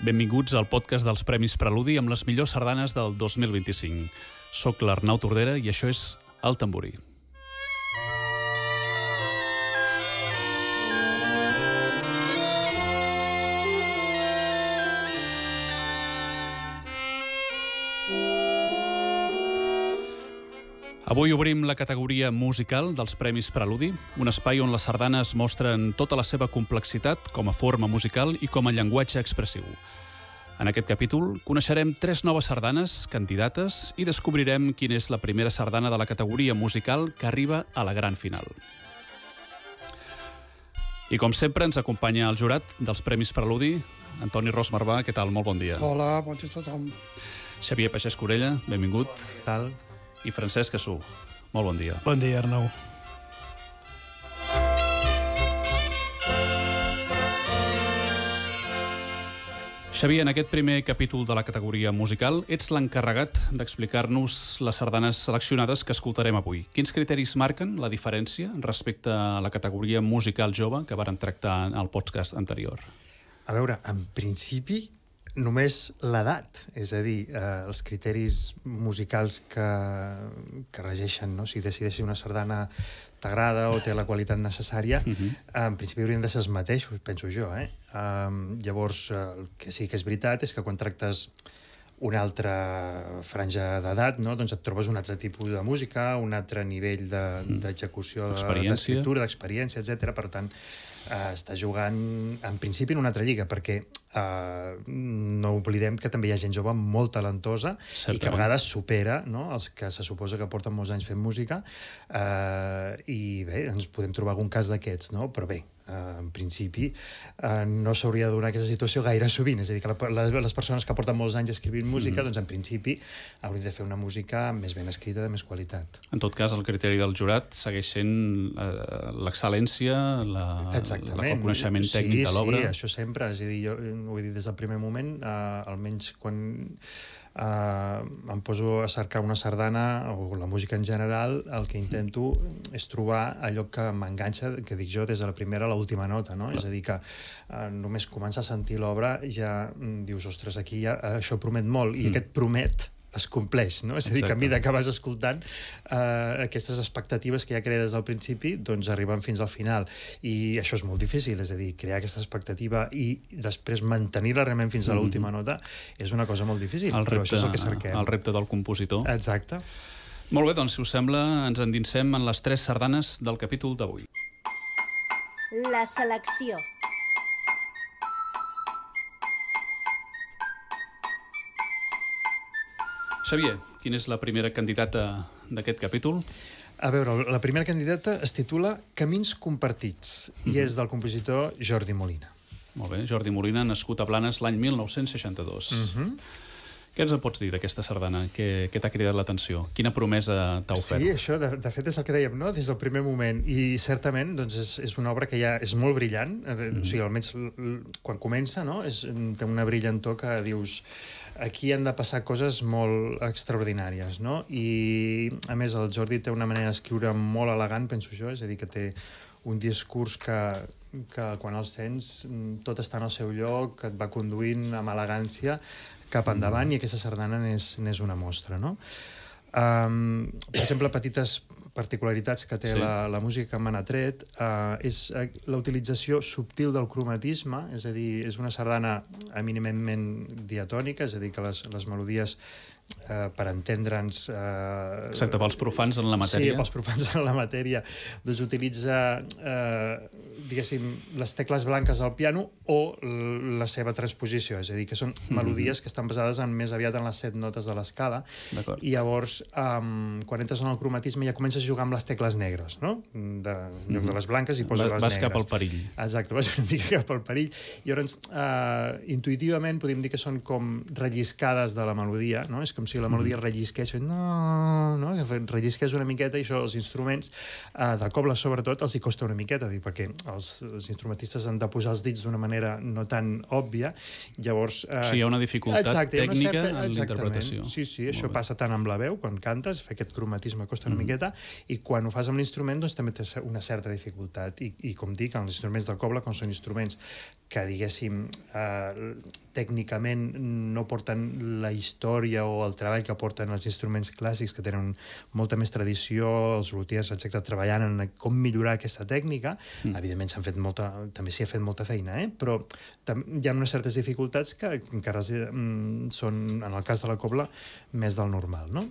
Benvinguts al podcast dels Premis Preludi amb les millors sardanes del 2025. Soc l'Arnau Tordera i això és El Tamborí. Avui obrim la categoria musical dels Premis Preludi, un espai on les sardanes mostren tota la seva complexitat com a forma musical i com a llenguatge expressiu. En aquest capítol coneixerem 3 noves sardanes, candidates, i descobrirem quina és la primera sardana de la categoria musical que arriba a la gran final. I com sempre ens acompanya el jurat dels Premis Preludi, Antoni Ros Marvà. Què tal? Molt bon dia. Hola, bon dia a tothom. Xavier Pagès Corella, benvingut. Què tal? I Francesc Cassú. Molt bon dia. Bon dia, Arnau. Xavier, en aquest primer capítol de la categoria musical ets l'encarregat d'explicar-nos les sardanes seleccionades que escoltarem avui. Quins criteris marquen la diferència respecte a la categoria musical jove que vàrem tractar en el podcast anterior? A veure, en principi només l'edat, és a dir, els criteris musicals que regeixen, no? Si decideixi una sardana t'agrada o té la qualitat necessària, en principi haurien de ser els mateixos, penso jo. Llavors, el que sí que és veritat és que quan tractes una altra franja d'edat, no? Doncs et trobes un altre tipus de música, un altre nivell d'execució, d'escriptura, d'experiència, etc. Per tant, està jugant en principi en una altra lliga, perquè no oblidem que també hi ha gent jove molt talentosa. Certament. I que a vegades supera, no?, els que se suposa que porten molts anys fent música, i bé, ens podem trobar algun cas d'aquests, no? Però bé, en principi no s'hauria de donar aquesta situació gaire sovint, és a dir, que les persones que porten molts anys escrivint música, doncs en principi haurien de fer una música més ben escrita, de més qualitat. En tot cas, el criteri del jurat segueix sent l'excel·lència, el coneixement tècnic de l'obra. Sí, això sempre, és a dir, jo ho he dit des del primer moment, almenys quan em poso a cercar una sardana o la música en general, el que intento és trobar allò que m'enganxa, que dic jo, des de la primera a l'última nota, no? És a dir, que només començar a sentir l'obra ja dius, ostres, aquí ja, això promet molt, i aquest promet es compleix, no? És a dir, que a mesura que vas escoltant, aquestes expectatives que ja crees des del principi, doncs arriben fins al final. I això és molt difícil, és a dir, crear aquesta expectativa i després mantenir-la realment fins a l'última nota és una cosa molt difícil, però això és el que cerquem. El repte del compositor. Exacte. Molt bé, doncs, si us sembla, ens endinsem en les 3 sardanes del capítol d'avui. La selecció. Xavier, quina és la primera candidata d'aquest capítol? A veure, la primera candidata es titula Camins compartits i és del compositor Jordi Molina. Molt bé, Jordi Molina, nascut a Blanes l'any 1962. Què ens en pots dir d'aquesta sardana? Què t'ha cridat l'atenció? Quina promesa t'ha ofert? Sí, això, de fet, és el que dèiem, no?, des del primer moment. I certament, doncs, és una obra que ja és molt brillant, o sigui, almenys quan comença, no?, té una brillantor que dius, aquí han de passar coses molt extraordinàries, no? I, a més, el Jordi té una manera d'escriure molt elegant, penso jo, és a dir, que té un discurs que quan el sents tot està en el seu lloc, que et va conduint amb elegància cap endavant, i aquesta sardana n'és una mostra, no? Per exemple, petites particularitats que té la música que m'han atret és la utilització subtil del cromatisme, és a dir, és una sardana eminentment diatònica, és a dir, que les melodies, per entendre'ns... Exacte, pels profans en la matèria. Sí, pels profans en la matèria. Doncs utilitza, diguéssim, les tecles blanques al piano o la seva transposició, és a dir, que són melodies que estan basades més aviat en les 7 notes de l'escala, i llavors, quan entres en el cromatisme ja comences a jugar amb les tecles negres, no? En lloc de les blanques i poses les negres. Vas cap al perill. Exacte, vas una mica cap al perill. I llavors, intuïtivament, podem dir que són com relliscades de la melodia, no? És és com si la melodia rellisqués, no? Rellisqués una miqueta, i això els instruments de cobla, sobretot, els hi costa una miqueta, perquè els instrumentistes han de posar els dits d'una manera no tan òbvia, llavors... Sí, hi ha una dificultat tècnica en l'interpretació. Sí, això passa tant amb la veu, quan cantes, fer aquest cromatisme costa una miqueta, i quan ho fas amb l'instrument, doncs també té una certa dificultat. I com dic, els instruments del cobla, com són instruments que, diguéssim, tècnicament no porten la història o el treball que porten els instruments clàssics, que tenen molta més tradició, els luthiers, etc., treballant en com millorar aquesta tècnica. Evidentment també s'hi ha fet molta feina, però hi ha unes certes dificultats que encara són, en el cas de la cobla, més del normal, no?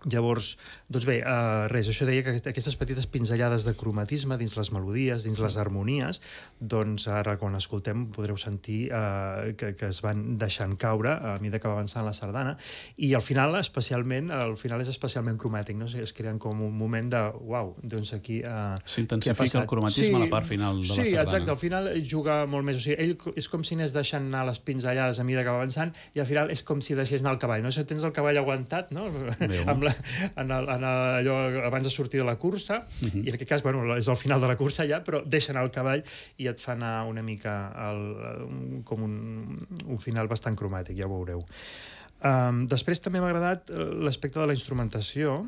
Llavors, doncs bé, això deia que aquestes petites pinzellades de cromatisme dins les melodies, dins les harmonies, doncs ara quan escoltem podreu sentir que es van deixant caure a mesura que va avançant la sardana, i al final és especialment cromàtic, no? Es creen com un moment de uau, doncs aquí... S'intensifica el cromatisme a la part final de la sardana. Sí, exacte, al final juga molt més, o sigui, ell és com si anés deixant anar les pinzellades a mesura que va avançant, i al final és com si deixés anar el cavall, no? Si tens el cavall aguantat, no? Allò abans de sortir de la cursa, i en aquest cas, és al final de la cursa ja, però deixa anar el cavall i et fa anar una mica com un final bastant cromàtic, ja ho veureu. Després també m'ha agradat l'aspecte de la instrumentació.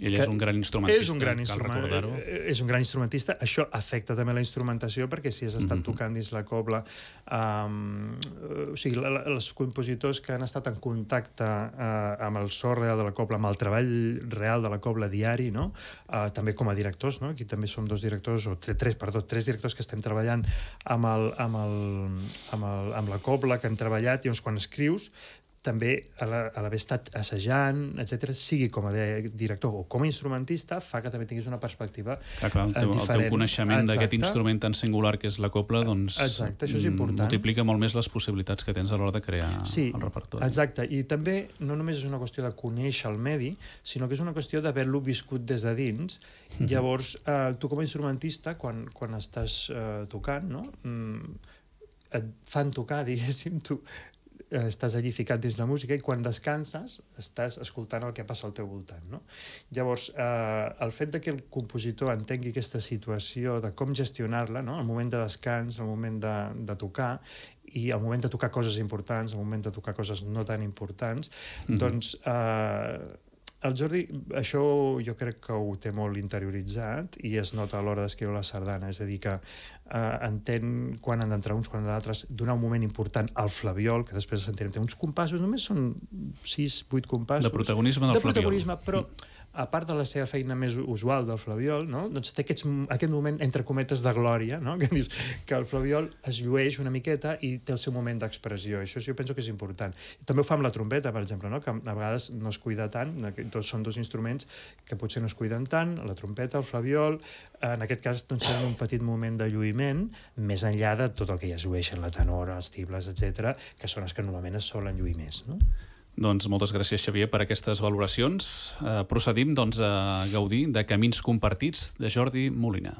Ell és un gran instrumentista, cal recordar-ho. És un gran instrumentista. Això afecta també la instrumentació, perquè si has estat tocant dins la cobla, o sigui, els compositors que han estat en contacte amb el so real de la cobla, amb el treball real de la cobla diari, no? També com a directors, no? Aquí també som tres directors que estem treballant amb la cobla, que hem treballat, i quan escrius també, a l'haver estat assajant, etc., sigui com a director o com a instrumentista, fa que també tinguis una perspectiva diferent. El teu coneixement d'aquest instrument tan singular que és la cobla, doncs multiplica molt més les possibilitats que tens a l'hora de crear el repertori. Exacte, i també no només és una qüestió de conèixer el medi, sinó que és una qüestió d'haver-lo viscut des de dins. Llavors, tu com a instrumentista, quan estàs tocant, no? Et fan tocar, diguéssim, tu estàs allí ficat dins la música, i quan descanses estàs escoltant el que passa al teu voltant, no? Llavors, el fet que el compositor entengui aquesta situació de com gestionar-la, no? El moment de descans, el moment de tocar, i el moment de tocar coses importants, el moment de tocar coses no tan importants, doncs el Jordi, això jo crec que ho té molt interioritzat, i es nota a l'hora d'escriure la sardana, és a dir, que entén quan han d'entrar uns, quan han d'altres, donar un moment important al flabiol, que després sentirem, té uns compassos, només són 6-8 compassos. De protagonisme del flabiol. De protagonisme, però a part de la seva feina més usual del flabiol, no? Doncs té aquest moment, entre cometes, de glòria, no? Que dius que el flabiol es llueix una miqueta i té el seu moment d'expressió. Això jo penso que és important. També ho fa amb la trompeta, per exemple, no? Que a vegades no es cuida tant, són dos instruments que potser no es cuiden tant, la trompeta, el flabiol, en aquest cas doncs, tenen un petit moment de lluïment, més enllà de tot el que ja es llueixen, la tenora, els tibles, etc., que són els que normalment es solen lluir més, no? Doncs moltes gràcies, Xavier, per aquestes valoracions. Procedim doncs, a gaudir de Camins compartits, de Jordi Molina.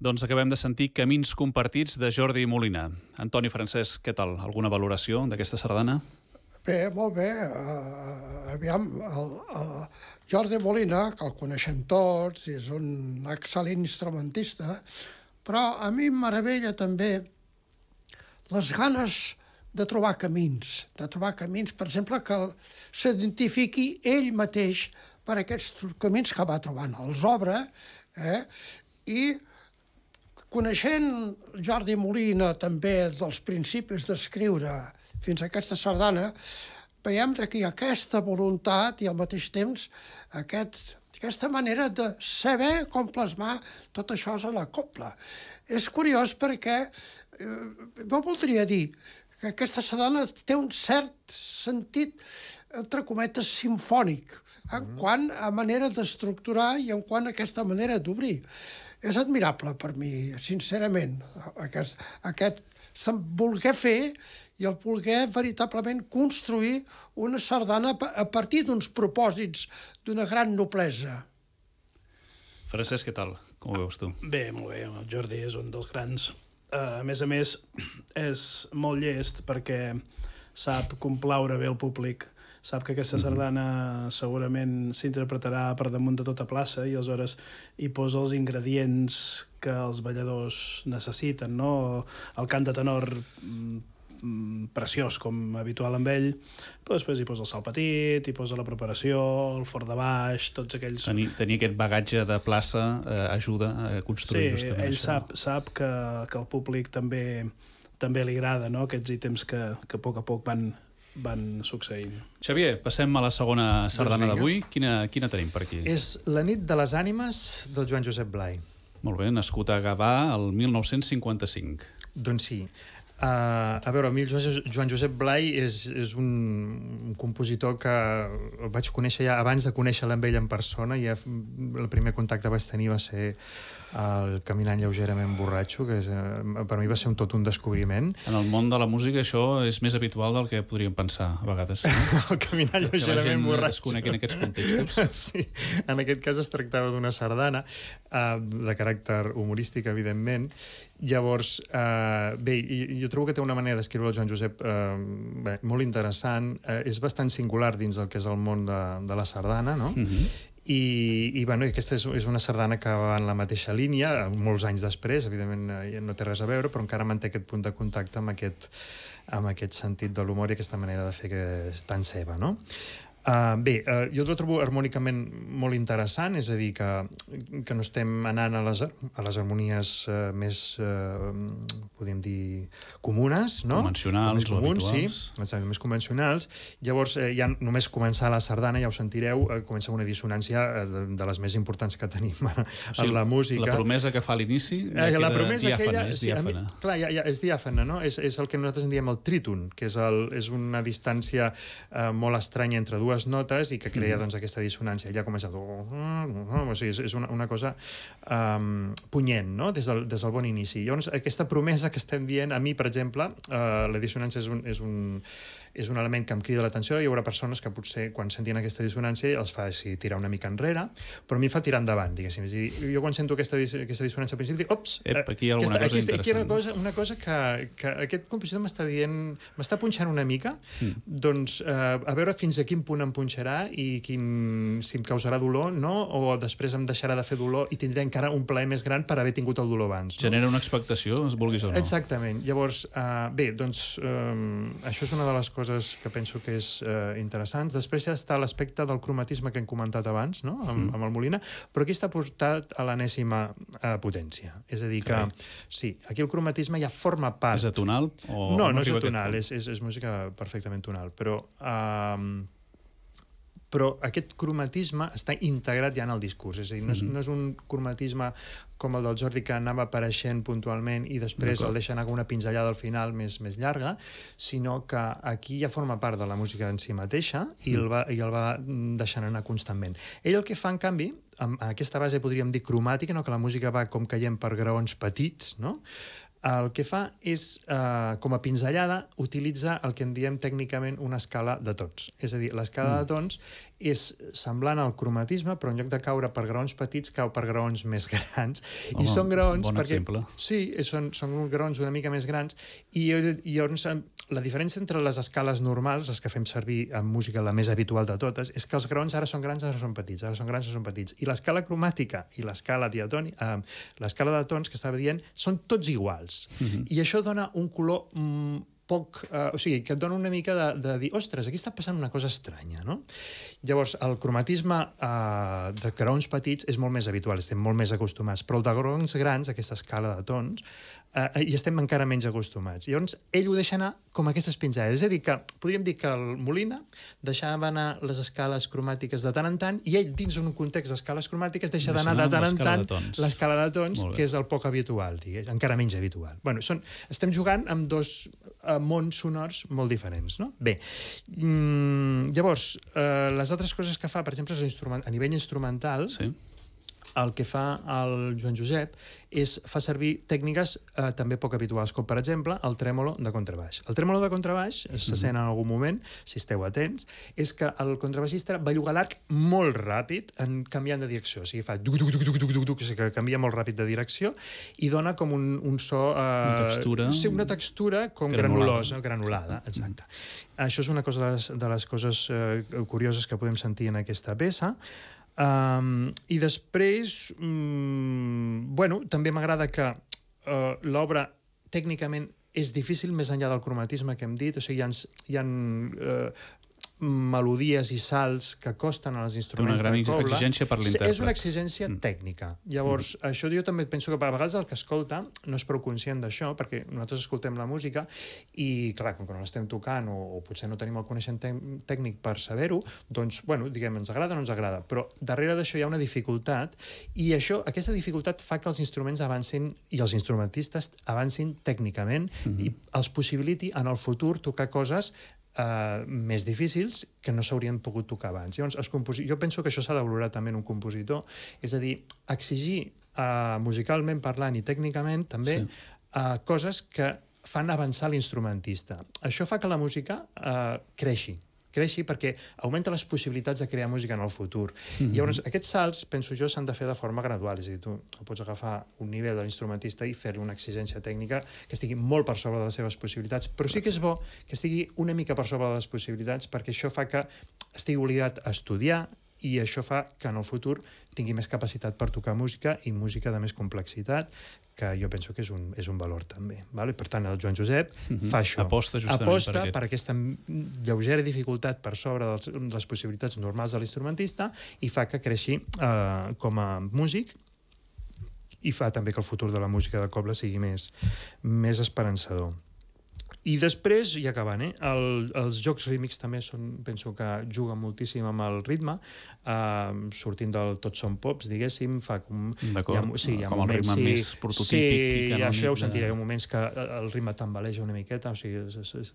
Doncs acabem de sentir Camins compartits de Jordi Molina. Antoni Francesc, què tal? Alguna valoració d'aquesta sardana? Bé, molt bé. Aviam, el Jordi Molina, que el coneixem tots, és un excel·lent instrumentista, però a mi em meravella també les ganes de trobar camins, per exemple, que s'identifiqui ell mateix per aquests camins que va trobant. Els obre, i coneixent Jordi Molina també dels principis d'escriure fins a aquesta sardana, veiem que hi ha aquesta voluntat i al mateix temps aquesta manera de saber com plasmar tot això a la copla. És curiós perquè jo voldria dir que aquesta sardana té un cert sentit, entre cometes, simfònic, en quant a manera d'estructurar i en quant a aquesta manera d'obrir. És admirable per mi, sincerament, aquest voler fer i el voler veritablement construir una sardana a partir d'uns propòsits d'una gran noblesa. Francesc, què tal? Com ho veus tu? Bé, molt bé. El Jordi és un dels grans. A més, és molt llest perquè sap complaure bé el públic. Sap que aquesta sardana segurament s'interpretarà per damunt de tota plaça i aleshores hi posa els ingredients que els balladors necessiten, no? El cant de tenor preciós, com habitual amb ell, però després hi posa el salt petit, hi posa la preparació, el fort de baix, tots aquells... Tenir aquest bagatge de plaça ajuda a construir justament ell això. sap que al públic també li agrada, no? Aquests ítems que a poc van succeint. Xavier, passem a la segona sardana d'avui. Quina tenim per aquí? És La nit de les ànimes del Joan Josep Blai. Molt bé, nascut a Gavà el 1955. Doncs sí. A veure, a mi el Joan Josep Blai és un compositor que el vaig conèixer ja abans de conèixer-lo amb ell en persona. Ja el primer contacte que vaig tenir va ser el Caminant lleugerament borratxo, que per mi va ser tot un descobriment. En el món de la música això és més habitual del que podríem pensar a vegades. El Caminant lleugerament borratxo. Que la gent es conegui en aquests contextos. Sí, en aquest cas es tractava d'una sardana de caràcter humorístic, evidentment. Llavors, bé, jo trobo que té una manera d'escriure el Joan Josep molt interessant. És bastant singular dins del que és el món de la sardana, no? I bueno, aquesta és una sardana que va en la mateixa línia, molts anys després, evidentment no té res a veure, però encara manté aquest punt de contacte amb aquest sentit de l'humor i aquesta manera de fer que és tan seva, no? Bé, jo el trobo harmònicament molt interessant, és a dir, que no estem anant a les harmonies més, podríem dir, comunes, no? Convencionals o habituals. Sí, exacte, més convencionals. Llavors, ja només començar la sardana, ja ho sentireu, comença una dissonància de les més importants que tenim en la música. La promesa que fa a l'inici ja queda diàfana, és diàfana. Clar, ja és diàfana, no? És el que nosaltres en diem el tríton, que és una distància molt estranya entre dues notes i que crea doncs, aquesta dissonància. Ja comença... O sigui, és una cosa punyent, no? Des del bon inici. Llavors, aquesta promesa que estem dient, a mi, per exemple, la dissonància és un element que em crida l'atenció. Hi haurà persones que potser, quan sentin aquesta dissonància, els fa tirar una mica enrere, però a mi em fa tirar endavant, diguéssim. És a dir, jo quan sento aquesta dissonància al principi, dic, ops, aquí hi ha alguna cosa interessant. Una cosa que aquest compositor m'està dient, m'està punxant una mica, doncs a veure fins a quin punt em punxarà i si em causarà dolor, no? O després em deixarà de fer dolor i tindré encara un plaer més gran per haver tingut el dolor abans. No? Genera una expectació, es vulguis o no. Exactament. Llavors, bé, doncs això és una de les coses que penso que és interessants. Després ja està l'aspecte del cromatisme que hem comentat abans, no? Amb el Molina, però aquí està portat a l'enèsima potència. És a dir que, sí, aquí el cromatisme ja forma part... És atonal? No és atonal, és música perfectament tonal, però aquest cromatisme està integrat ja en el discurs, és a dir, no és un cromatisme com el del Jordi que anava apareixent puntualment i després el deixa anar com una pinzellada al final més llarga, sinó que aquí ja forma part de la música en si mateixa i el va deixant anar constantment. Ell el que fa, en canvi, amb aquesta base podríem dir cromàtica, no? Que la música va com caient per graons petits, no? el que fa és, com a pinzellada, utilitzar el que en diem tècnicament una escala de tons. És a dir, l'escala de tons és semblant al cromatisme, però en lloc de caure per graons petits, cau per graons més grans. Home, I són graons... bon exemple. Sí, són graons una mica més grans, i llavors la diferència entre les escales normals, les que fem servir en música, la més habitual de totes, és que els graons ara són grans, ara són petits, ara són grans, ara són petits. I l'escala cromàtica i l'escala diatònica, l'escala de tons que estava dient, són tots iguals. I això dona un color poc... o sigui, que et dona una mica de dir, ostres, aquí està passant una cosa estranya, no? Llavors, el cromatisme de graons petits és molt més habitual, estem molt més acostumats, però el de graons grans, aquesta escala de tons, hi estem encara menys acostumats. Llavors, ell ho deixa anar com aquestes pinzellades. És a dir, que podríem dir que el Molina deixava anar les escales cromàtiques de tant en tant, i ell, dins un context d'escales cromàtiques, deixa d'anar de tant en tant l'escala de tons, que és el poc habitual, encara menys habitual. Bueno, estem jugant amb dos mons sonors molt diferents, no? Bé, llavors, les altres coses que fa, per exemple, a nivell instrumental, el que fa el Joan Josep és fa servir tècniques també poc habituals, com per exemple el trèmolo de contrabaix. El trèmolo de contrabaix, se sent en algun moment, si esteu atents, és que el contrabaixista belluga l'arc molt ràpid canviant de direcció. O sigui, fa duc-duc-duc-duc-duc-duc, que canvia molt ràpid de direcció i dona com un so... Una textura... Sí, una textura com granulosa, granulada, exacte. Això és una cosa de les coses curioses que podem sentir en aquesta peça. I després, bueno, també m'agrada que l'obra tècnicament és difícil més enllà del cromatisme que hem dit, o sigui, hi ha melodies i salts que costen als instruments de cobla. Una gran exigència per l'intèrpret. És una exigència tècnica. Llavors, això jo també penso que a vegades el que escolta no és prou conscient d'això, perquè nosaltres escoltem la música i, clar, com que no l'estem tocant o potser no tenim el coneixement tècnic per saber-ho, doncs, bueno, diguem, ens agrada o no ens agrada, però darrere d'això hi ha una dificultat i aquesta dificultat fa que els instruments avancin i els instrumentistes avancin tècnicament i els possibiliti en el futur tocar coses més difícils que no s'haurien pogut tocar abans. Llavors, jo penso que això s'ha de valorar també en un compositor, és a dir, exigir musicalment parlant i tècnicament també coses que fan avançar l'instrumentista. Això fa que la música creixi perquè augmenta les possibilitats de crear música en el futur. Llavors, aquests salts, penso jo, s'han de fer de forma gradual. És a dir, tu no pots agafar un nivell de l'instrumentista i fer-li una exigència tècnica que estigui molt per sobre de les seves possibilitats, però sí que és bo que estigui una mica per sobre de les possibilitats perquè això fa que estigui obligat a estudiar i això fa que en el futur tingui més capacitat per tocar música i música de més complexitat, que jo penso que és un valor també. Per tant, el Joan Josep fa això. Aposta per aquesta lleugera dificultat per sobre de les possibilitats normals de l'instrumentista i fa que creixi com a músic i fa també que el futur de la música de cobla sigui més esperançador. I després, ja acabant, els jocs rítmics també penso que juguen moltíssim amb el ritme, sortint del Tots som pops, diguéssim, fa com... D'acord, com el ritme més prototípic. Sí, això ho sentireu, moments que el ritme tambaleja una miqueta, o sigui,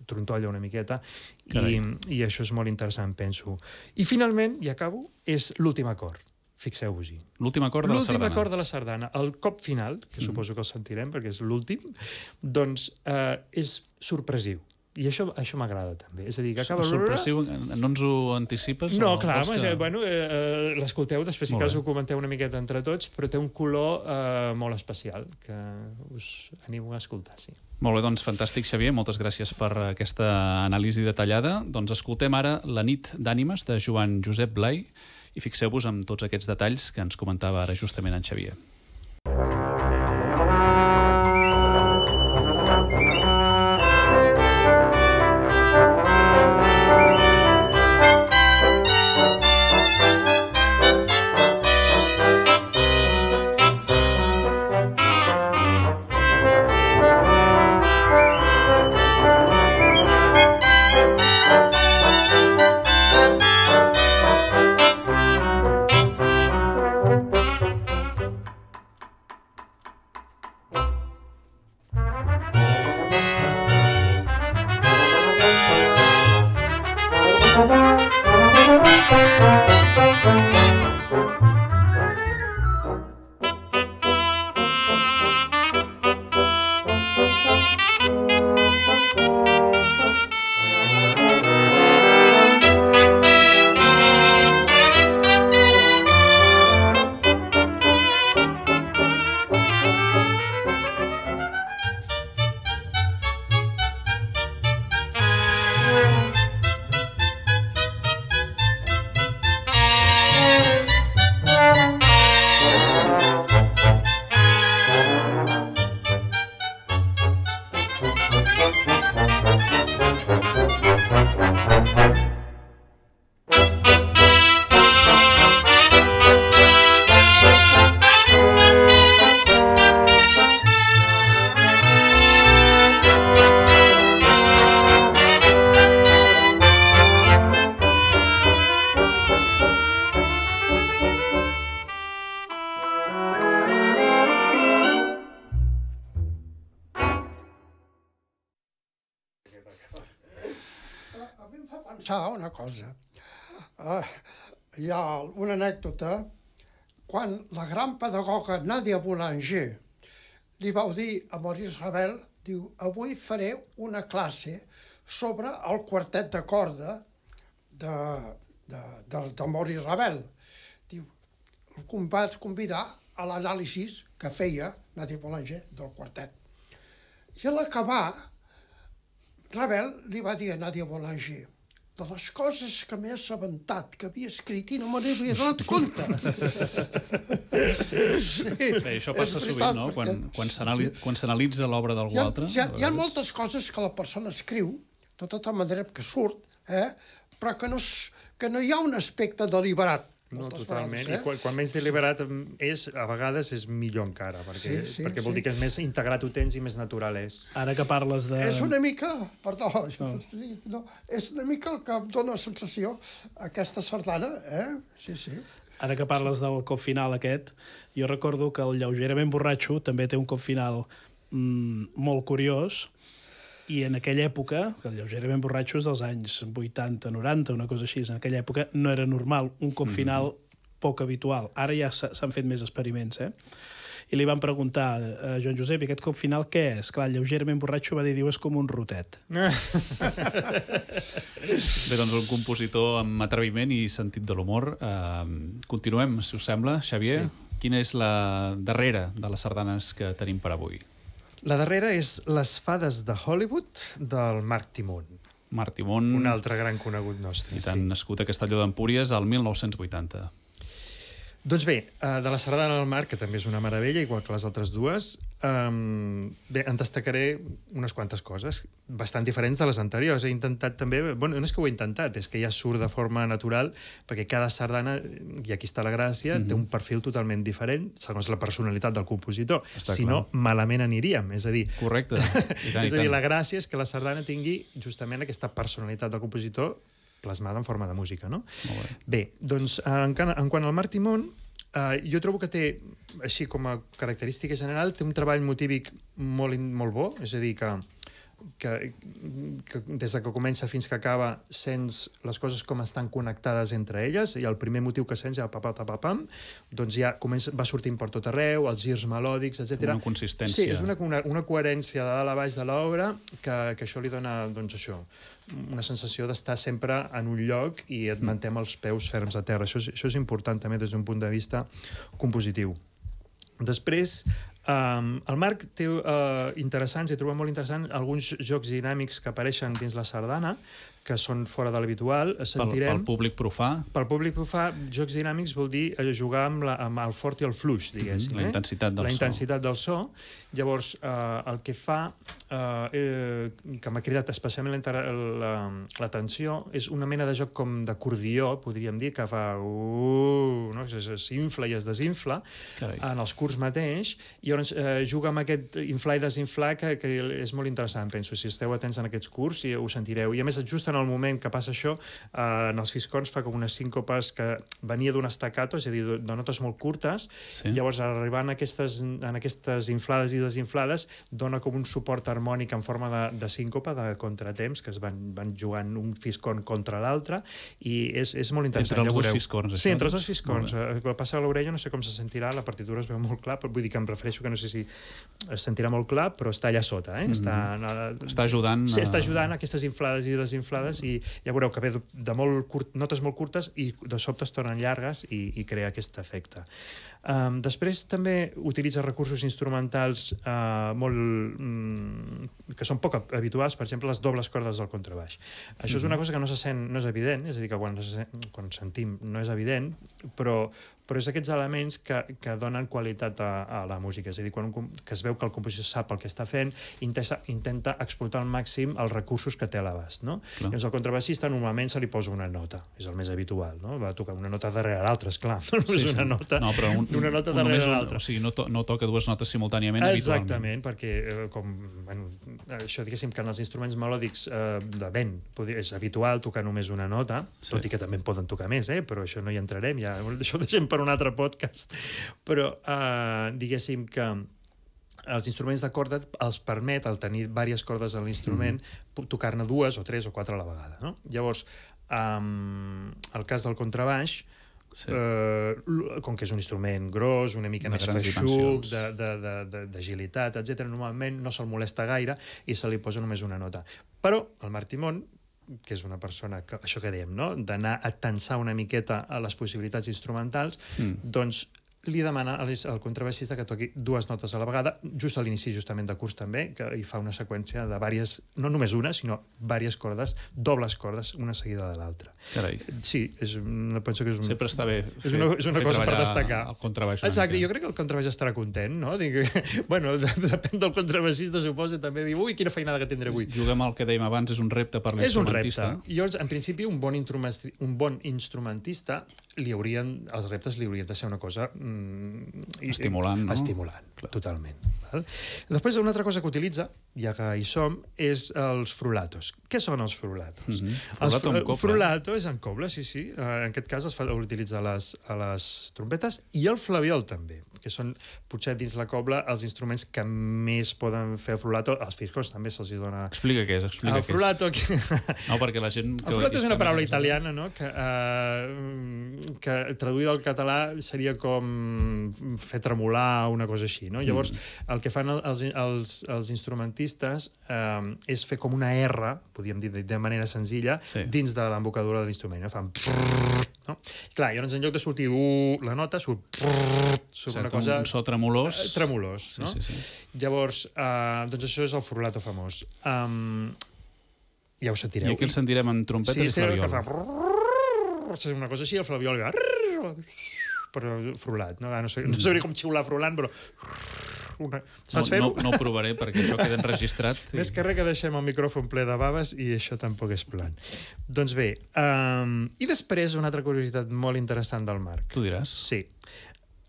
trontolla una miqueta, i això és molt interessant, penso. I finalment, i acabo, és l'últim acord. Fixeu-vos-hi. L'últim acord de la sardana. L'últim acord de la sardana. El cop final, que suposo que el sentirem perquè és l'últim, doncs és sorpresiu. I això m'agrada també. És a dir, que acaba... Sorpressiu, no ens ho anticipes? No, clar, l'escolteu, després si cas ho comenteu una miqueta entre tots, però té un color molt especial que us animo a escoltar, sí. Molt bé, doncs fantàstic, Xavier. Moltes gràcies per aquesta anàlisi detallada. Doncs escoltem ara La nit d'ànimes de Joan Josep Blai i fixeu-vos en tots aquests detalls que ens comentava ara justament en Xavier. pensar una cosa. Hi ha una anècdota quan la gran pedagoga Nadia Boulanger li vau dir a Maurice Ravel, diu, avui faré una classe sobre el quartet de corda de Maurice Ravel. Diu, el vas convidar a l'anàlisi que feia Nadia Boulanger del quartet. I a l'acabar, Ravel li va dir a Nadia Boulanger, de les coses que m'he assabentat, que havia escrit i no me n'havia donat compte. Sí, bé, això passa sovint, no? Quan s'analitza l'obra d'algú altre. Hi ha moltes coses que la persona escriu, de tota manera que surt, però que no hi ha un aspecte deliberat. No, totalment. I quan menys deliberat és, a vegades és millor encara, perquè vol dir que és més integrat ho tens i més natural és. Ara que parles de... És una mica, perdó, és una mica el que em dóna la sensació aquesta sardana, Sí. Ara que parles del cop final aquest, jo recordo que el Lleugerament borratxo també té un cop final molt curiós, i en aquella època, que el Lleugerament borratxo és dels anys 80, 90, una cosa així, en aquella època no era normal, un cop final poc habitual. Ara ja s'han fet més experiments, I li van preguntar a Joan Josep, i aquest cop final què és? Clar, el Lleugerament borratxo va dir, és com un rotet. Bé, doncs un compositor amb atreviment i sentit de l'humor. Continuem, si us sembla. Xavier, quina és la darrera de les sardanes que tenim per avui? La darrera és Les fades de Hollywood, del Marc Timon. Marc Timon. Un altre gran conegut nostre. I tant, nascut a Castelló d'Empúries al 1980. Doncs bé, de la sardana del Marc, que també és una meravella, igual que les altres dues, bé, en destacaré unes quantes coses, bastant diferents de les anteriors. He intentat també... Bueno, no és que ho he intentat, és que ja surt de forma natural, perquè cada sardana, i aquí està la gràcia, té un perfil totalment diferent, segons la personalitat del compositor. Si no, malament aniríem, és a dir... Correcte. És a dir, la gràcia és que la sardana tingui justament aquesta personalitat del compositor plasmada en forma de música, no? Bé, doncs, en quant al Marc Timon, jo trobo que té, així com a característica general, té un treball motívic molt bo, és a dir, que des que comença fins que acaba sents les coses com estan connectades entre elles, i el primer motiu que sents ja papam, doncs ja va sortint per tot arreu, els girs melòdics, etc. Una consistència. Sí, és una coherència de dalt a baix de l'obra que això li dona, doncs això, una sensació d'estar sempre en un lloc i et manté amb els peus ferms a terra. Això és important també des d'un punt de vista compositiu. Després, el Marc té interessants, he trobat molt interessant alguns jocs dinàmics que apareixen dins la sardana, que són fora de l'habitual. Pel públic profà? Pel públic profà, jocs dinàmics vol dir jugar amb el fort i el fluix, diguéssim. La intensitat del so. La intensitat del so. Llavors, el que fa, que m'ha cridat especialment l'atenció, és una mena de joc com d'acordió, podríem dir, que fa... no? S'infla i es desinfla en els curts mateix, i llavors juga amb aquest inflar i desinflar que és molt interessant, penso. Si esteu atents en aquests curts, ho sentireu. I a més, just en el moment que passa això, en els fiscons fa com unes síncopes que venia d'un staccato, és a dir, de notes molt curtes, llavors arribant en aquestes inflades i desinflades dona com un suport harmònic en forma de síncopa, de contratemps, que es van jugant un fiscon contra l'altre, i és molt interessant. Entre els dos fiscons, això? Sí, entre els dos fiscons. Quan passa a l'orella no sé com se sentirà, la partitura es veu molt clar, però vull dir que em refereixo que no sé si es sentirà molt clar, però està allà sota. Està ajudant... Sí, està ajudant a aquestes inflades i desinflades, i ja veureu que ve de notes molt curtes i de sobte es tornen llargues i crea aquest efecte. Després també utilitza recursos instrumentals que són poc habituals, per exemple les dobles cordes del contrabaix. Això és una cosa que no és evident, és a dir, que quan sentim no és evident, però és aquests elements que donen qualitat a la música, és a dir, que es veu que el compositor sap el que està fent, intenta explotar al màxim els recursos que té a l'abast, no? Llavors el contrabaixista normalment se li posa una nota, és el més habitual, no? Va tocar una nota darrere l'altra, esclar, no és una nota, una nota darrere l'altra. O sigui, no toca dues notes simultàniament habitualment. Exactament, perquè això diguéssim que en els instruments melòdics de vent és habitual tocar només una nota, tot i que també en poden tocar més, però això no hi entrarem, ja això ho deixem per un altre podcast, però diguéssim que els instruments de corda els permet, al tenir diverses cordes a l'instrument, tocar-ne 2 o 3 o 4 a la vegada, no? Llavors, El cas del contrabaix, com que és un instrument gros, una mica més feixuc, d'agilitat, etc., normalment no se'l molesta gaire i se li posa només una nota. Però el Marc Timón, que és una persona, això que dèiem, no? D'anar a tensar una miqueta a les possibilitats instrumentals, doncs li demana al contrabaixista que toqui 2 notes a la vegada, just a l'inici justament de curs també, que hi fa una seqüència de diverses, no només una, sinó diverses cordes, dobles cordes, una seguida de l'altra. Carai. Sí, penso que és sempre està bé és una cosa per destacar. El contrabaix. Exacte, jo crec que el contrabaix estarà content, no? Bueno, depèn del contrabaixista, suposa, també dir, ui, quina feinada que tindré avui. Juguem al que dèiem abans, és un repte per l'instrumentista. És un repte. Llavors, en principi, un bon instrumentista, els reptes li haurien de ser una cosa estimulant, no? Estimulant, totalment. Val? Després, una altra cosa que utilitza, ja que hi som, és els frulatos. Què són els frulatos? Frulato amb coble. Frulato és en coble, sí. En aquest cas l'utilitza a les trompetes i el flabiol també, que són, potser dins la cobla, els instruments que més poden fer el frulato. Els fiscos també se'ls dona... Explica què és, el frulato... No, perquè la gent... El frulato és una paraula italiana, no?, que traduïda al català seria com fer tremolar una cosa així, no? Llavors, el que fan els instrumentistes és fer com una R, podríem dir de manera senzilla, dins de l'embocadura de l'instrument. Fan... No? Clar, llavors en lloc de sortir la nota, surt una cosa... Un so tremolós. Tremolós, no? Sí. Llavors, doncs això és el frulato famós. Ja ho sentireu. I aquí el sentirem en trompeta i flabiol. Que fa... una cosa així, el flabiol però frulat, no sabré com xiular frulant, però saps fer-ho? No ho provaré perquè això queda enregistrat. Més que res que deixem el micròfon ple de baves i això tampoc és plan. Doncs bé, i després una altra curiositat molt interessant del Marc. Tu diràs. Sí.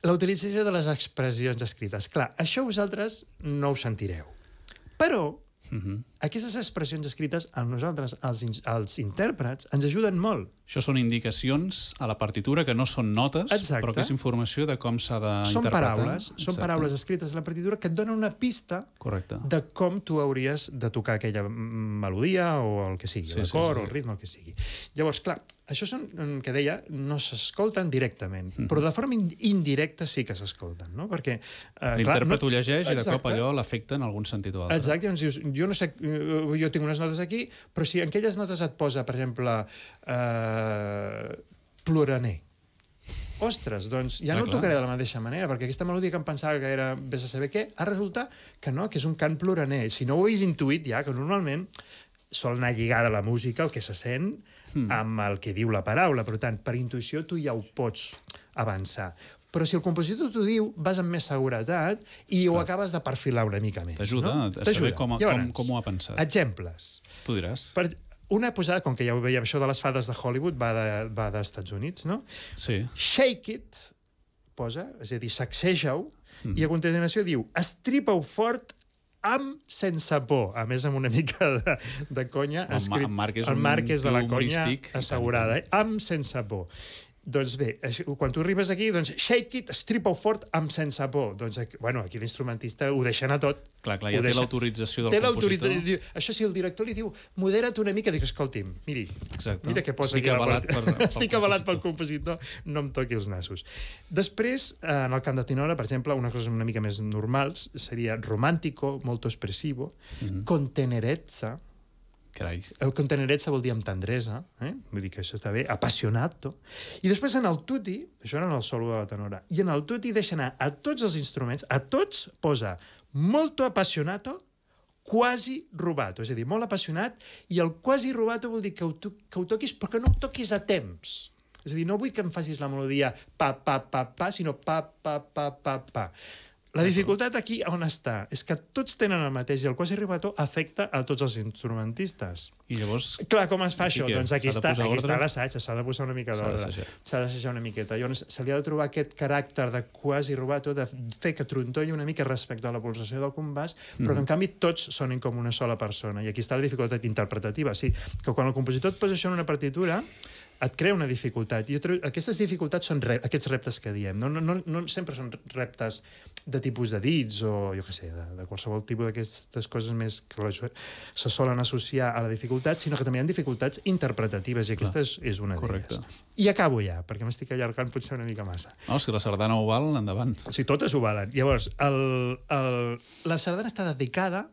La utilització de les expressions escrites. Clar, això vosaltres no ho sentireu. Però aquestes expressions escrites a nosaltres, els intèrprets, ens ajuden molt. Això són indicacions a la partitura que no són notes, però que és informació de com s'ha d'interpretar. Són paraules escrites a la partitura que et donen una pista de com tu hauries de tocar aquella melodia o el que sigui, l'acord o el ritme, el que sigui. Llavors, clar, això són, que deia, no s'escolten directament, però de forma indirecta sí que s'escolten, no? Perquè... l'intèrpret ho llegeix i de cop allò l'afecta en algun sentit o altre. Exacte, llavors dius, jo no sé, jo tinc unes notes aquí, però si en aquelles notes et posa, per exemple, ploraner, ostres, doncs ja no ho tocaré de la mateixa manera, perquè aquesta melodia que em pensava que era vés a saber què, ha resultat que no, que és un cant ploraner. Si no ho hagués intuït ja, que normalment sol anar lligada a la música, el que se sent, amb el que diu la paraula. Per tant, per intuïció tu ja ho pots avançar. Però si el compositor t'ho diu, vas amb més seguretat i ho acabes de perfilar una mica més. T'ajuda a saber com ho ha pensat. Exemples. Tu diràs. Una posada, com que ja ho veiem, això de les fades de Hollywood va dels Estats Units, no? Sí. Shake it, posa, és a dir, sacseja-ho, i a continuació diu, estripa-ho fort amb sense por. A més, amb una mica de conya. El Marc és de la conya assegurada, amb sense por. Doncs bé, quan tu arribes aquí, doncs shake it, estripa-ho fort amb sense por. Doncs, bueno, aquí l'instrumentista ho deixa anar tot. Clar, ja té l'autorització del compositor. Això si el director li diu, modera't una mica, dic, escolti'm, mira què posa aquí. Estic avalat pel compositor, no em toqui els nassos. Després, en el cant de tenora, per exemple, unes coses una mica més normals seria romàntico, molto expressivo, con tenerezza. Carai. El contenerezza vol dir amb tendresa, vull dir que això està bé, apassionato. I després en el tutti, això era en el solo de la tenora, i en el tutti deixa anar a tots els instruments, a tots posa molto appassionato, quasi rubato, és a dir, molt apassionat, i el quasi rubato vol dir que ho toquis, però que no ho toquis a temps. És a dir, no vull que em facis la melodia pa, pa, pa, pa, sinó pa, pa, pa, pa, pa. La dificultat aquí on està? És que tots tenen el mateix i el quasi rubato afecta a tots els instrumentistes. I llavors... Clar, com es fa això? Doncs aquí està l'assaig, s'ha de posar una mica d'ordre. S'ha d'assajar una miqueta. Llavors se li ha de trobar aquest caràcter de quasi rubato, de fer que trontolli una mica respecte a la pulsació del compàs, però que en canvi tots sonin com una sola persona. I aquí està la dificultat interpretativa. Sí, que quan el compositor et posa això en una partitura, et crea una dificultat. Aquestes dificultats són aquests reptes que diem. No sempre són reptes de tipus de dits o, jo què sé, de qualsevol tipus d'aquestes coses més que se solen associar a la dificultat, sinó que també hi ha dificultats interpretatives, i aquesta és una d'elles. I acabo ja, perquè m'estic allargant potser una mica massa. No, si la sardana ho val, endavant. O sigui, totes ho valen. Llavors, la sardana està dedicada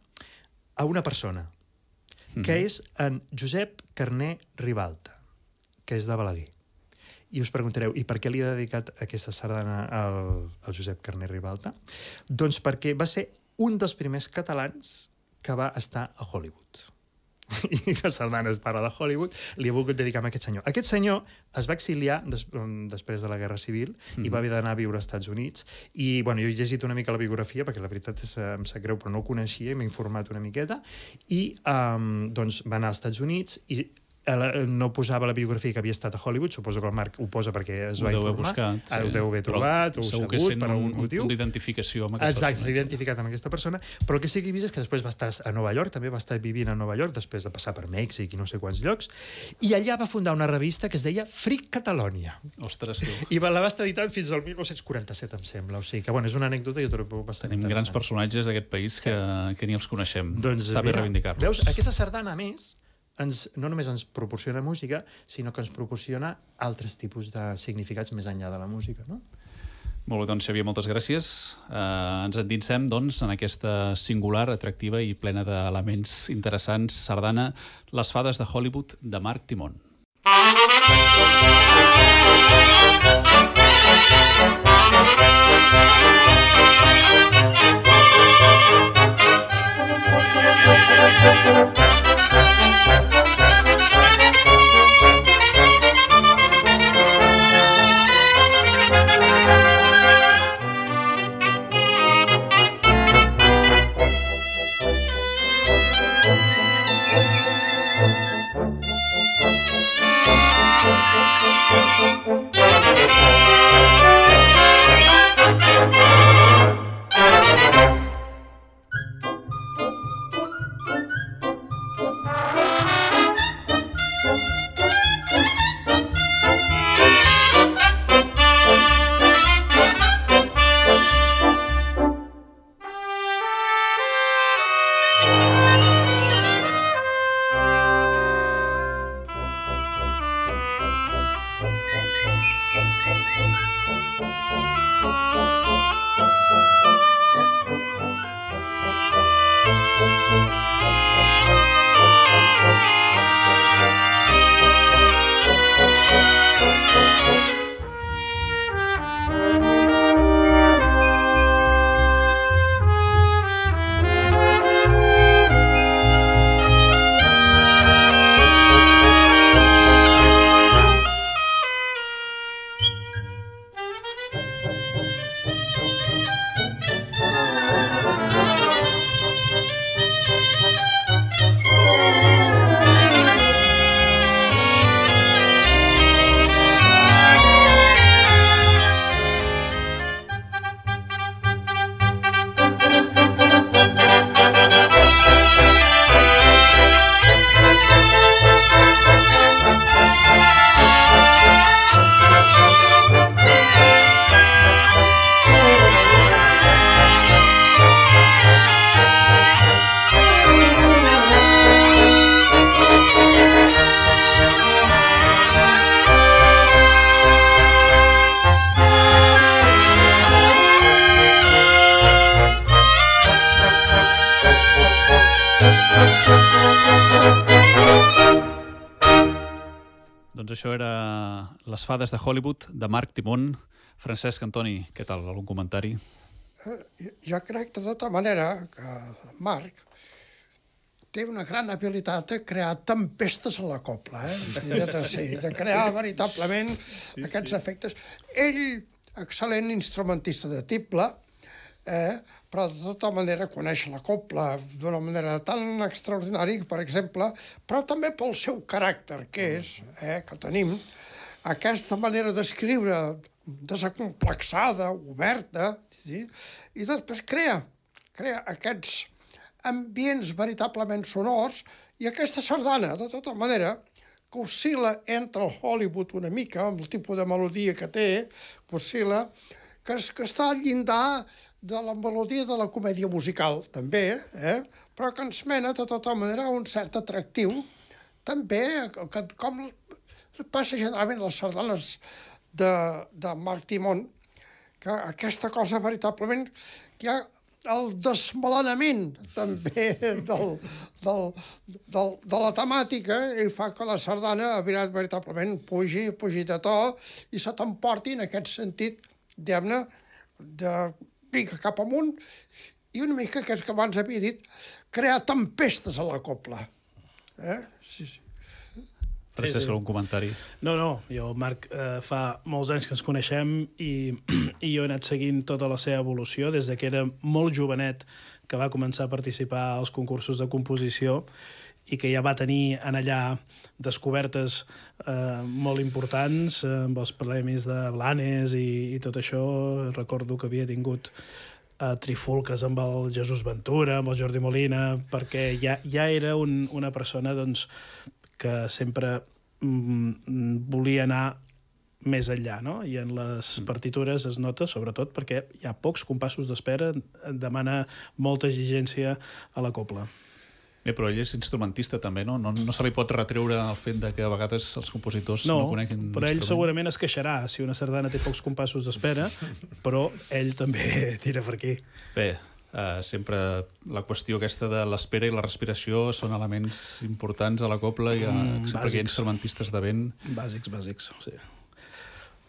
a una persona, que és en Josep Carner Ribalta, que és de Balaguer. I us preguntareu, i per què li ha dedicat aquesta sardana al Josep Carner Ribalta? Doncs perquè va ser un dels primers catalans que va estar a Hollywood. I la sardana es parla de Hollywood, li he volgut dedicar a aquest senyor. Aquest senyor es va exiliar després de la Guerra Civil i va haver d'anar a viure als Estats Units. I, bueno, jo he llegit una mica la biografia, perquè la veritat em sap greu, però no ho coneixia, m'he informat una miqueta, i doncs va anar als Estats Units i no posava la biografia que havia estat a Hollywood, suposo que el Marc ho posa perquè es va informar. Ara ho deu haver trobat, o sabut, per algun motiu. Un d'identificació amb aquesta persona. Exacte, s'ha identificat amb aquesta persona, però el que sí que he vist és que després va estar a Nova York, també va estar vivint a Nova York, després de passar per Mèxic i no sé quants llocs, i allà va fundar una revista que es deia Freak Catalonia. Ostres, tu. I la va estar editant fins al 1947, em sembla. O sigui que, bueno, és una anècdota i jo trobo bastant interessant. Tenim grans personatges d'aquest país que ni els coneixem. Està bé reivindicar-los. Veus, aquesta sardana, a més, no només ens proporciona música, sinó que ens proporciona altres tipus de significats més enllà de la música, no? Molt bé, doncs, Xavier, moltes gràcies. Ens endinsem, doncs, en aquesta singular, atractiva i plena d'elements interessants sardana Les fades de Hollywood, de Marc Timón. Doncs això era Les fades de Hollywood, de Marc Timón. Francesc, Antoni, què tal? Algun comentari? Jo crec, de tota manera, que Marc té una gran habilitat de crear tempestes a la copla, de crear veritablement aquests efectes. Ell, excel·lent instrumentista de tible, però de tota manera coneix la copla d'una manera tan extraordinària, per exemple, però també pel seu caràcter, que és, que tenim, aquesta manera d'escriure desacomplexada, oberta, i després crea aquests ambients veritablement sonors, i aquesta sardana, de tota manera, que oscil·la entre el Hollywood una mica, amb el tipus de melodia que té, que oscil·la, que està al llindar de la melodia de la comèdia musical, també, però que ens mena, de tota manera, a un cert atractiu, també, que, com passa generalment a les sardanes de Marc Timon, que aquesta cosa veritablement, que hi ha el desmelenament també de la temàtica i fa que la sardana veritablement pugi de to i se t'emporti en aquest sentit, diguem-ne, de pica cap amunt i una mica, que és que abans havia dit, crear tempestes a la copla. Sí. Francesc, algun comentari? No, jo, Marc, fa molts anys que ens coneixem i jo he anat seguint tota la seva evolució des que era molt jovenet, que va començar a participar als concursos de composició i que ja va tenir en allà descobertes molt importants amb els premis de Blanes i tot això. Recordo que havia tingut trifulques amb el Jesús Ventura, amb el Jordi Molina, perquè ja era una persona, doncs, que sempre volia anar més enllà, no? I en les partitures es nota, sobretot, perquè hi ha pocs compassos d'espera, demana molta exigència a la copla. Bé, però ell és instrumentista també, no? No se li pot retreure el fet de que a vegades els compositors no coneguin però ell segurament es queixarà si una sardana té pocs compassos d'espera, però ell també tira per aquí. Bé, sempre la qüestió aquesta de l'espera i la respiració són elements importants a la copla i sempre hi ha instrumentistes de vent. Bàsics, sí.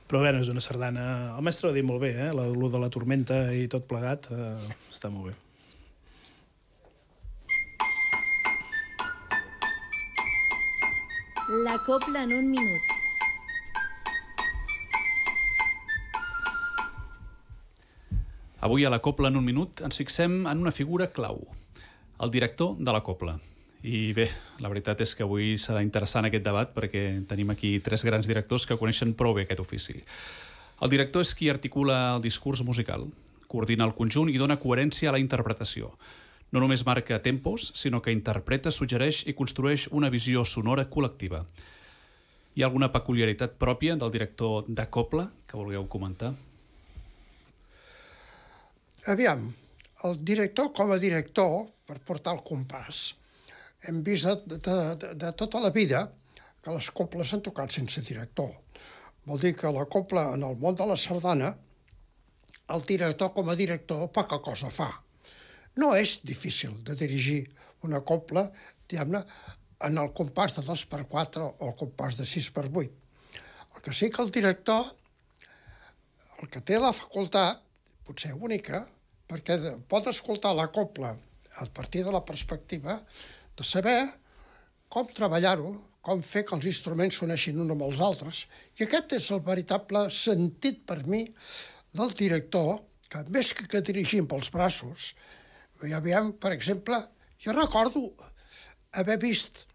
Però bé, és una sardana... El mestre ho ha dit molt bé, lo de la tormenta i tot plegat està molt bé. La copla en un minut. Avui a la Copla en un minut ens fixem en una figura clau, el director de la copla. I bé, la veritat és que avui serà interessant aquest debat perquè tenim aquí 3 grans directors que coneixen prou bé aquest ofici. El director és qui articula el discurs musical, coordina el conjunt i dona coherència a la interpretació. No només marca tempos, sinó que interpreta, suggereix i construeix una visió sonora col·lectiva. Hi ha alguna peculiaritat pròpia del director de copla que vulgueu comentar? Aviam, el director com a director, per portar el compàs, hem vist de tota la vida que les coples s'han tocat sense director. Vol dir que la copla, en el món de la sardana, el director com a director poca cosa fa. No és difícil de dirigir una copla, diguem-ne, en el compàs de 2x4 o el compàs de 6x8. El que sí que el director, el que té la facultat, potser única, perquè pot escoltar la copla a partir de la perspectiva de saber com treballar-ho, com fer que els instruments s'uneixin uns amb els altres. I aquest és el veritable sentit per mi del director, que més que dirigim pels braços, ja veiem, per exemple, jo recordo haver vist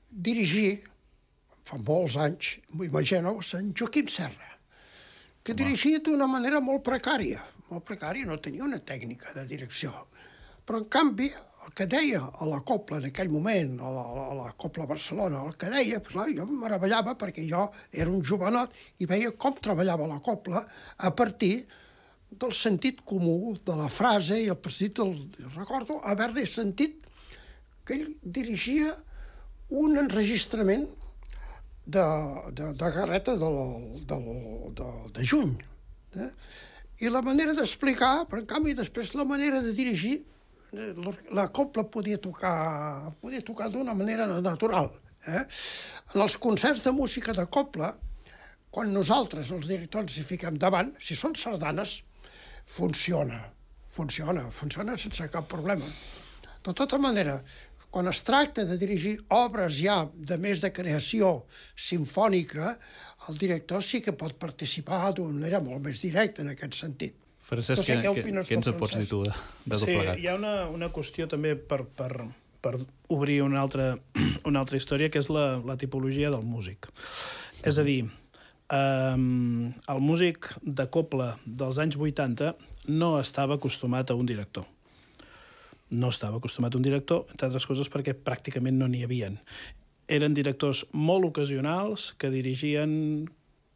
dirigir, fa molts anys, imagineu-vos, en Joaquim Serra, que dirigia d'una manera molt precària, no tenia una tècnica de direcció. Però, en canvi, el que deia a la copla en aquell moment, a la Copla Barcelona, el que deia, jo em meravellava perquè jo era un jovenot i veia com treballava la copla a partir del sentit comú de la frase i el sentit del... Recordo haver-li sentit que ell dirigia un enregistrament de Garreta de juny. I la manera d'explicar, però en canvi després la manera de dirigir, la copla podia tocar d'una manera natural. En els concerts de música de copla, quan nosaltres, els directors, hi fiquem davant, si són sardanes, funciona sense cap problema. De tota manera, quan es tracta de dirigir obres ja de més de creació sinfònica, el director sí que pot participar d'una manera molt més directa en aquest sentit. Francesc, què ens en pots dir tu de tot plegat? Sí, hi ha una qüestió també per obrir una altra història, que és la tipologia del músic. És a dir, el músic de copla dels anys 80 no estava acostumat a un director. No estava acostumat a un director, entre altres coses perquè pràcticament no n'hi havien. eren directors molt ocasionals que dirigien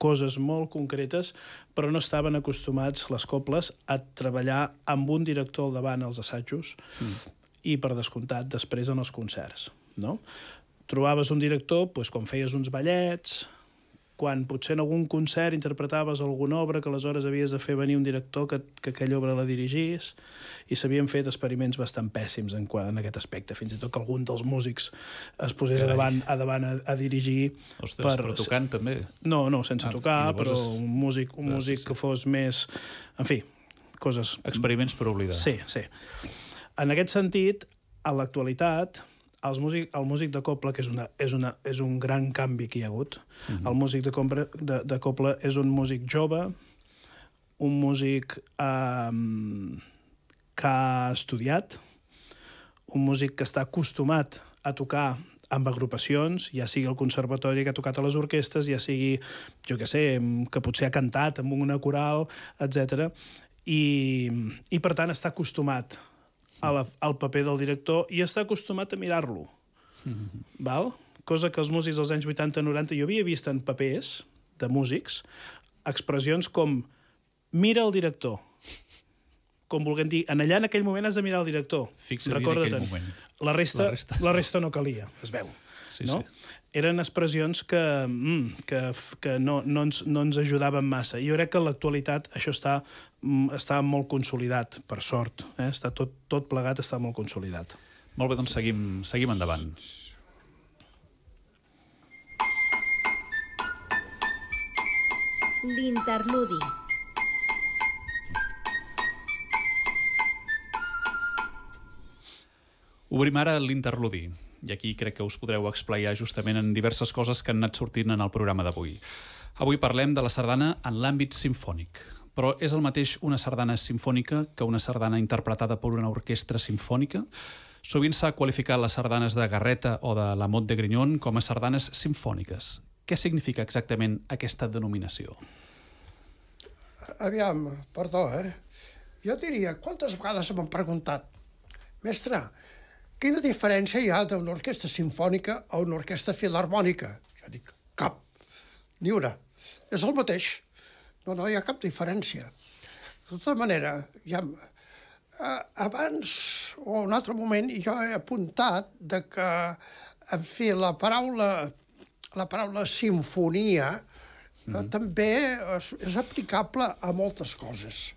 coses molt concretes, però no estaven acostumats, les cobles, a treballar amb un director al davant als assajos i, per descomptat, després en els concerts. No? Trobaves un director quan feies uns ballets, quan potser en algun concert interpretaves alguna obra que aleshores havies de fer venir un director que aquella obra la dirigís, i s'havien fet experiments bastant pèssims en aquest aspecte, fins i tot que algun dels músics es posés a davant a dirigir. Ostres, però tocant també? No, sense tocar, però un músic que fos més... En fi, coses... Experiments per oblidar. Sí. En aquest sentit, a l'actualitat, el músic de cobla, que és un gran canvi que hi ha hagut, el músic de cobla és un músic jove, un músic que ha estudiat, un músic que està acostumat a tocar amb agrupacions, ja sigui el conservatori que ha tocat a les orquestres, ja sigui, jo què sé, que potser ha cantat amb una coral, etc. I per tant està acostumat al paper del director i està acostumat a mirar-lo. Val? Cosa que els músics dels anys 80-90 jo havia vist en papers de músics, expressions com mira el director, com volguem dir, en aquell moment has de mirar el director. Fixa-hi en aquell moment. La resta no calia, es veu. Sí, no? sí. Eren expressions que no ens ajudaven massa. Jo crec que en l'actualitat això està molt consolidat, per sort. Està tot plegat, està molt consolidat. Molt bé, doncs seguim endavant. L'interludi. Obrim ara l'interludi, i aquí crec que us podreu explaiar justament en diverses coses que han anat sortint en el programa d'avui. Avui parlem de la sardana en l'àmbit simfònic, però és el mateix una sardana simfònica que una sardana interpretada per una orquestra simfònica? Sovint s'ha qualificat les sardanes de Garreta o de la Mot de Grignon com a sardanes simfòniques. Què significa exactament aquesta denominació? Aviam, perdó, Jo diria, quantes vegades m'han preguntat, mestre, quina diferència hi ha d'una orquestra simfònica a una orquestra filharmònica? Jo dic, cap, ni una. És el mateix. No hi ha cap diferència. De tota manera, abans o un altre moment jo he apuntat que, en fi, la paraula simfonia també és aplicable a moltes coses.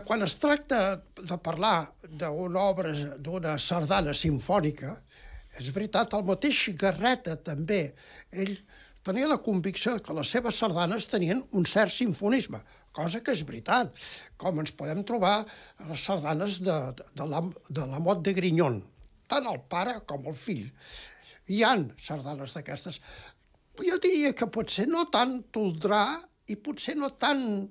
Quan es tracta de parlar d'una obra, d'una sardana simfònica, és veritat, el mateix Garreta també, ell tenia la convicció que les seves sardanes tenien un cert simfonisme, cosa que és veritat, com ens podem trobar a les sardanes de la Mot de Grignon, tant el pare com el fill. Hi ha sardanes d'aquestes. Jo diria que potser no tant Toldrà i potser no tant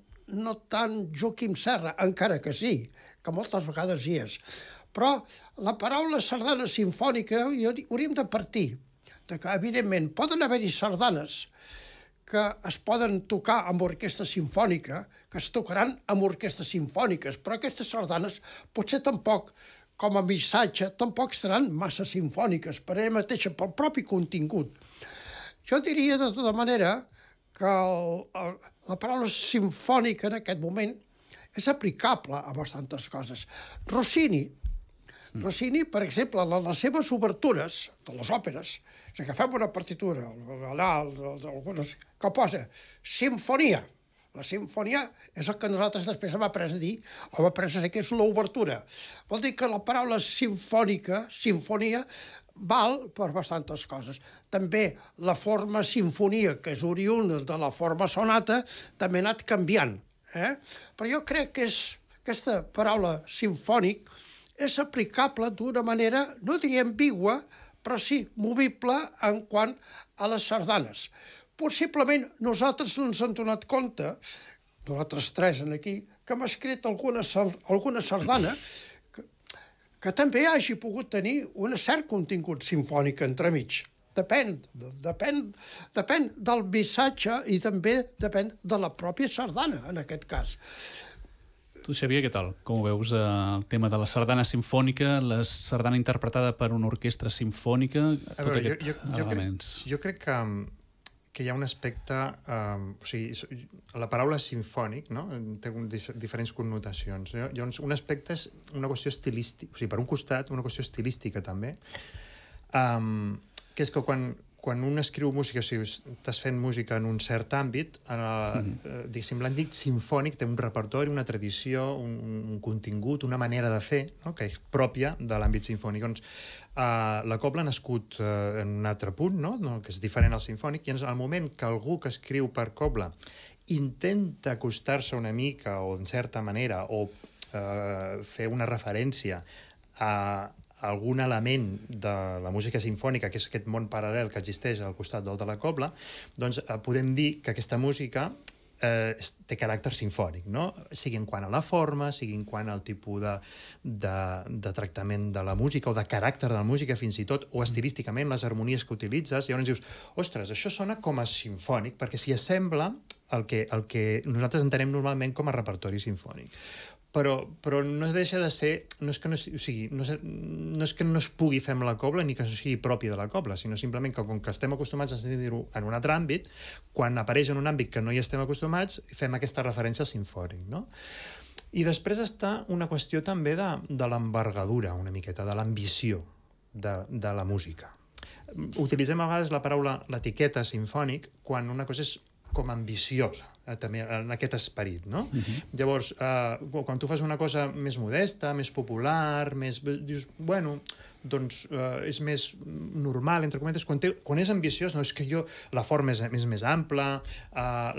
Joaquim Serra, encara que sí, que moltes vegades hi és. Però la paraula sardana simfònica hauríem de partir que, evidentment, poden haver-hi sardanes que es poden tocar amb orquestra simfònica, que es tocaran amb orquestres simfòniques, però aquestes sardanes potser tampoc, com a missatge, tampoc seran massa simfòniques per ella mateixa, pel propi contingut. Jo diria, de tota manera, que la paraula simfònica en aquest moment és aplicable a bastantes coses. Rossini, per exemple, en les seves obertures de les òperes, si agafem una partitura, que posa simfonia. La simfonia és el que nosaltres després hem après a dir, o hem après a dir que és l'obertura. Vol dir que la paraula simfonia, val per bastantes coses. També la forma sinfonia, que és oriunda de la forma sonata, també ha anat canviant. Però jo crec que aquesta paraula simfònic és aplicable d'una manera, no diria ambigua, però sí movible en quant a les sardanes. Possiblement nosaltres no ens hem donat compte, nosaltres tres aquí, que hem escrit alguna sardana que també hagi pogut tenir un cert contingut simfònic entremig. Depèn del missatge i també depèn de la pròpia sardana, en aquest cas. Tu, Xavier, què tal? Com ho veus, el tema de la sardana sinfònica, la sardana interpretada per una orquestra sinfònica, tot aquests elements? Jo crec que hi ha un aspecte... o sigui, la paraula sinfònic, no?, té diferents connotacions. Llavors, un aspecte és una qüestió estilística, o sigui, per un costat, una qüestió estilística, també, que és que quan un escriu música, o sigui, estàs fent música en un cert àmbit, diguéssim, l'àmbit sinfònic té un repertori, una tradició, un contingut, una manera de fer, no?, que és pròpia de l'àmbit sinfònic. Doncs la cobla ha nascut en un altre punt, no?, que és diferent al sinfònic, i en el moment que algú que escriu per cobla intenta acostar-se una mica, o en certa manera, o fer una referència a algun element de la música sinfònica, que és aquest món paral·lel que existeix al costat del de la cobla, doncs podem dir que aquesta música té caràcter sinfònic, no? Sigui en quant a la forma, sigui en quant al tipus de tractament de la música o de caràcter de la música, fins i tot, o estilísticament, les harmonies que utilitzes, i llavors dius, ostres, això sona com a sinfònic, perquè s'hi assembla el que nosaltres entenem normalment com a repertori sinfònic. Però no deixa de ser... No és que no es pugui fer amb la cobla ni que no sigui pròpia de la cobla, sinó simplement que com que estem acostumats a sentir-ho en un altre àmbit, quan apareix en un àmbit que no hi estem acostumats, fem aquesta referència al sinfònic, no? I després està una qüestió també de l'envergadura, una miqueta, de l'ambició de la música. Utilitzem a vegades l'etiqueta sinfònic quan una cosa és com ambiciosa, també en aquest esperit, no? Llavors, quan tu fas una cosa més modesta, més popular, dius, bueno, doncs és més normal, entre cometes, quan és ambiciós, no, és que la forma és més ampla,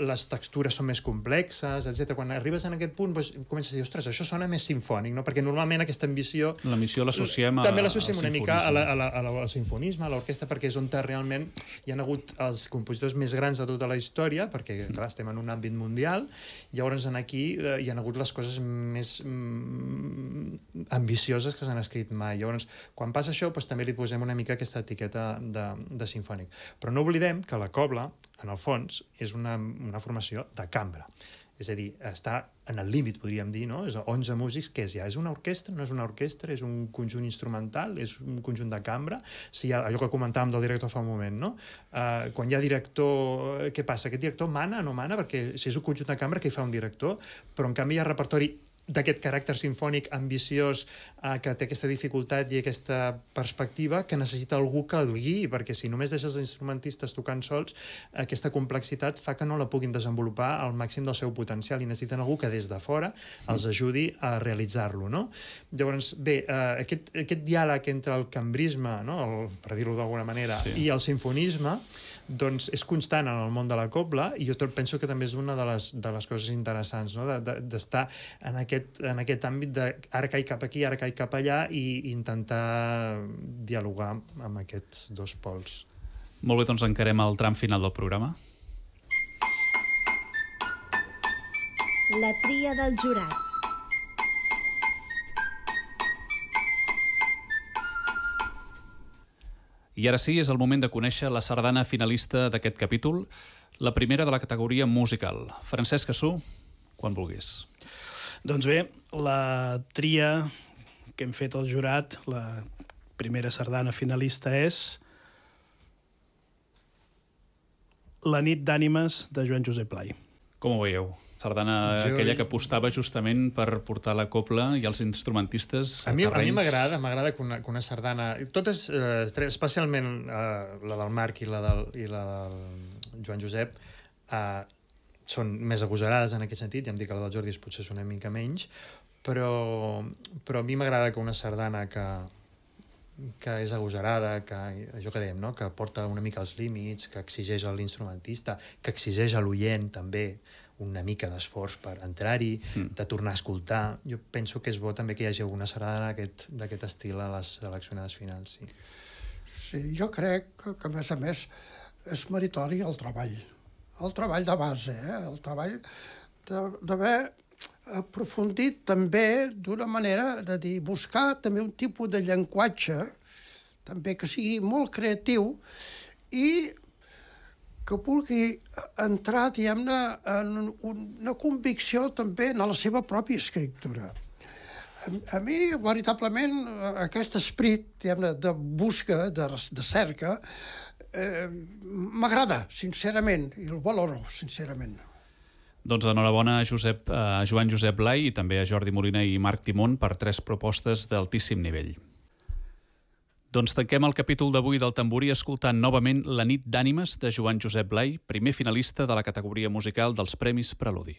les textures són més complexes, etc. Quan arribes en aquest punt, doncs, comences a dir, ostres, això sona més sinfònic, no? Perquè normalment aquesta ambició... L'ambició l'associem també l'associem una mica al sinfonisme, a l'orquestra, perquè és on realment hi ha hagut els compositors més grans de tota la història, perquè, clar, estem en un àmbit mundial, llavors aquí hi ha hagut les coses més ambicioses que s'han escrit mai. Llavors, quan passa això, doncs també li posem una mica aquesta etiqueta de sinfònic. Però no oblidem que la cobla, en el fons, és una formació de cambra. És a dir, està en el límit, podríem dir, no? És 11 músics, què és ja? És una orquestra? No és una orquestra? És un conjunt instrumental? És un conjunt de cambra? Si hi ha allò que comentàvem del director fa un moment, no? Quan hi ha director, què passa? Aquest director mana o no mana? Perquè si és un conjunt de cambra, què hi fa un director? Però en canvi hi ha repertori d'aquest caràcter sinfònic ambiciós que té aquesta dificultat i aquesta perspectiva que necessita algú que el guiï, perquè si només deixes els instrumentistes tocant sols, aquesta complexitat fa que no la puguin desenvolupar al màxim del seu potencial i necessiten algú que des de fora els ajudi a realitzar-lo, no? Llavors, bé, aquest diàleg entre el cambrisme, no? Per dir-ho d'alguna manera, i el sinfonisme, doncs és constant en el món de la cobla i jo penso que també és una de les coses interessants, no? D'estar en aquest àmbit de ara caic cap aquí, ara caic cap allà i intentar dialogar amb aquests dos pols. Molt bé, doncs encarem el tram final del programa. La tria del jurat. I ara sí, és el moment de conèixer la sardana finalista d'aquest capítol, la primera de la categoria musical. Francesc Cassú, quan vulguis. Doncs bé, la tria que hem fet al jurat, la primera sardana finalista és La nit d'ànimes de Joan Josep Blai. Com ho veieu? Sardana aquella que apostava justament per portar la cobla i els instrumentistes a terrenys... A mi m'agrada que una sardana... Totes, especialment la del Marc i la del Joan Josep, són més agosarades en aquest sentit, ja em dic que la del Jordi potser és una mica menys, però a mi m'agrada que una sardana que és agosarada, allò que dèiem, no? Que porta una mica els límits, que exigeix a l'instrumentista, que exigeix a l'oient també una mica d'esforç per entrar-hi, de tornar a escoltar. Jo penso que és bo també que hi hagi alguna sardana d'aquest estil a les seleccionades finals. Sí, jo crec que a més, és meritori el treball de base, el treball d'haver aprofundit també d'una manera de dir, buscar també un tipus de llenguatge també que sigui molt creatiu i que vulgui entrar, diguem-ne, en una convicció també en la seva pròpia escriptura. A mi, veritablement, aquest esperit, diguem-ne, de busca, de cerca, m'agrada, sincerament, i el valoro, sincerament. Doncs enhorabona a Joan Josep Blai i també a Jordi Molina i Marc Timón per 3 propostes d'altíssim nivell. Doncs tanquem el capítol d'avui del Tamborí escoltant novament La nit d'ànimes de Joan Josep Blai, primer finalista de la categoria musical dels Premis Preludi.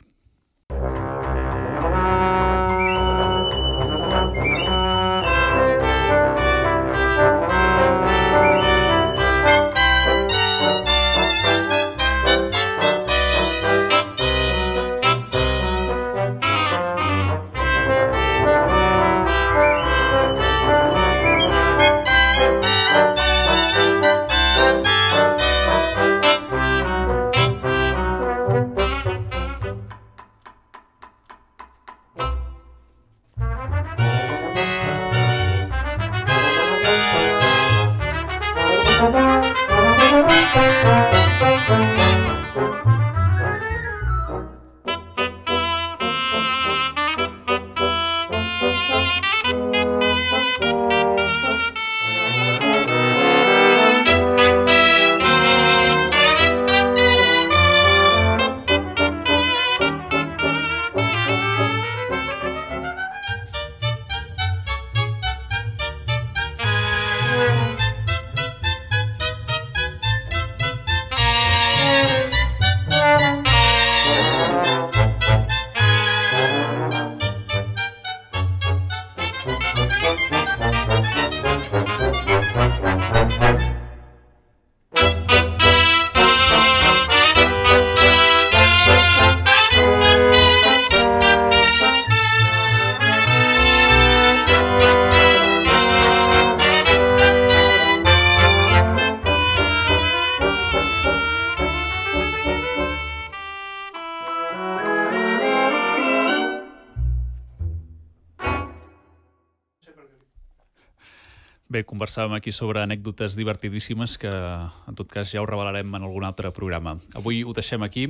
Bé, conversàvem aquí sobre anècdotes divertidíssimes que, en tot cas, ja ho revelarem en algun altre programa. Avui ho deixem aquí.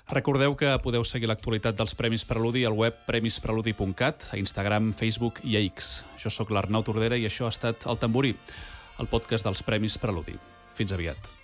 Recordeu que podeu seguir l'actualitat dels Premis Preludi al web premispreludi.cat, a Instagram, Facebook i a X. Jo sóc l'Arnau Tordera i això ha estat El Tamborí, el podcast dels Premis Preludi. Fins aviat.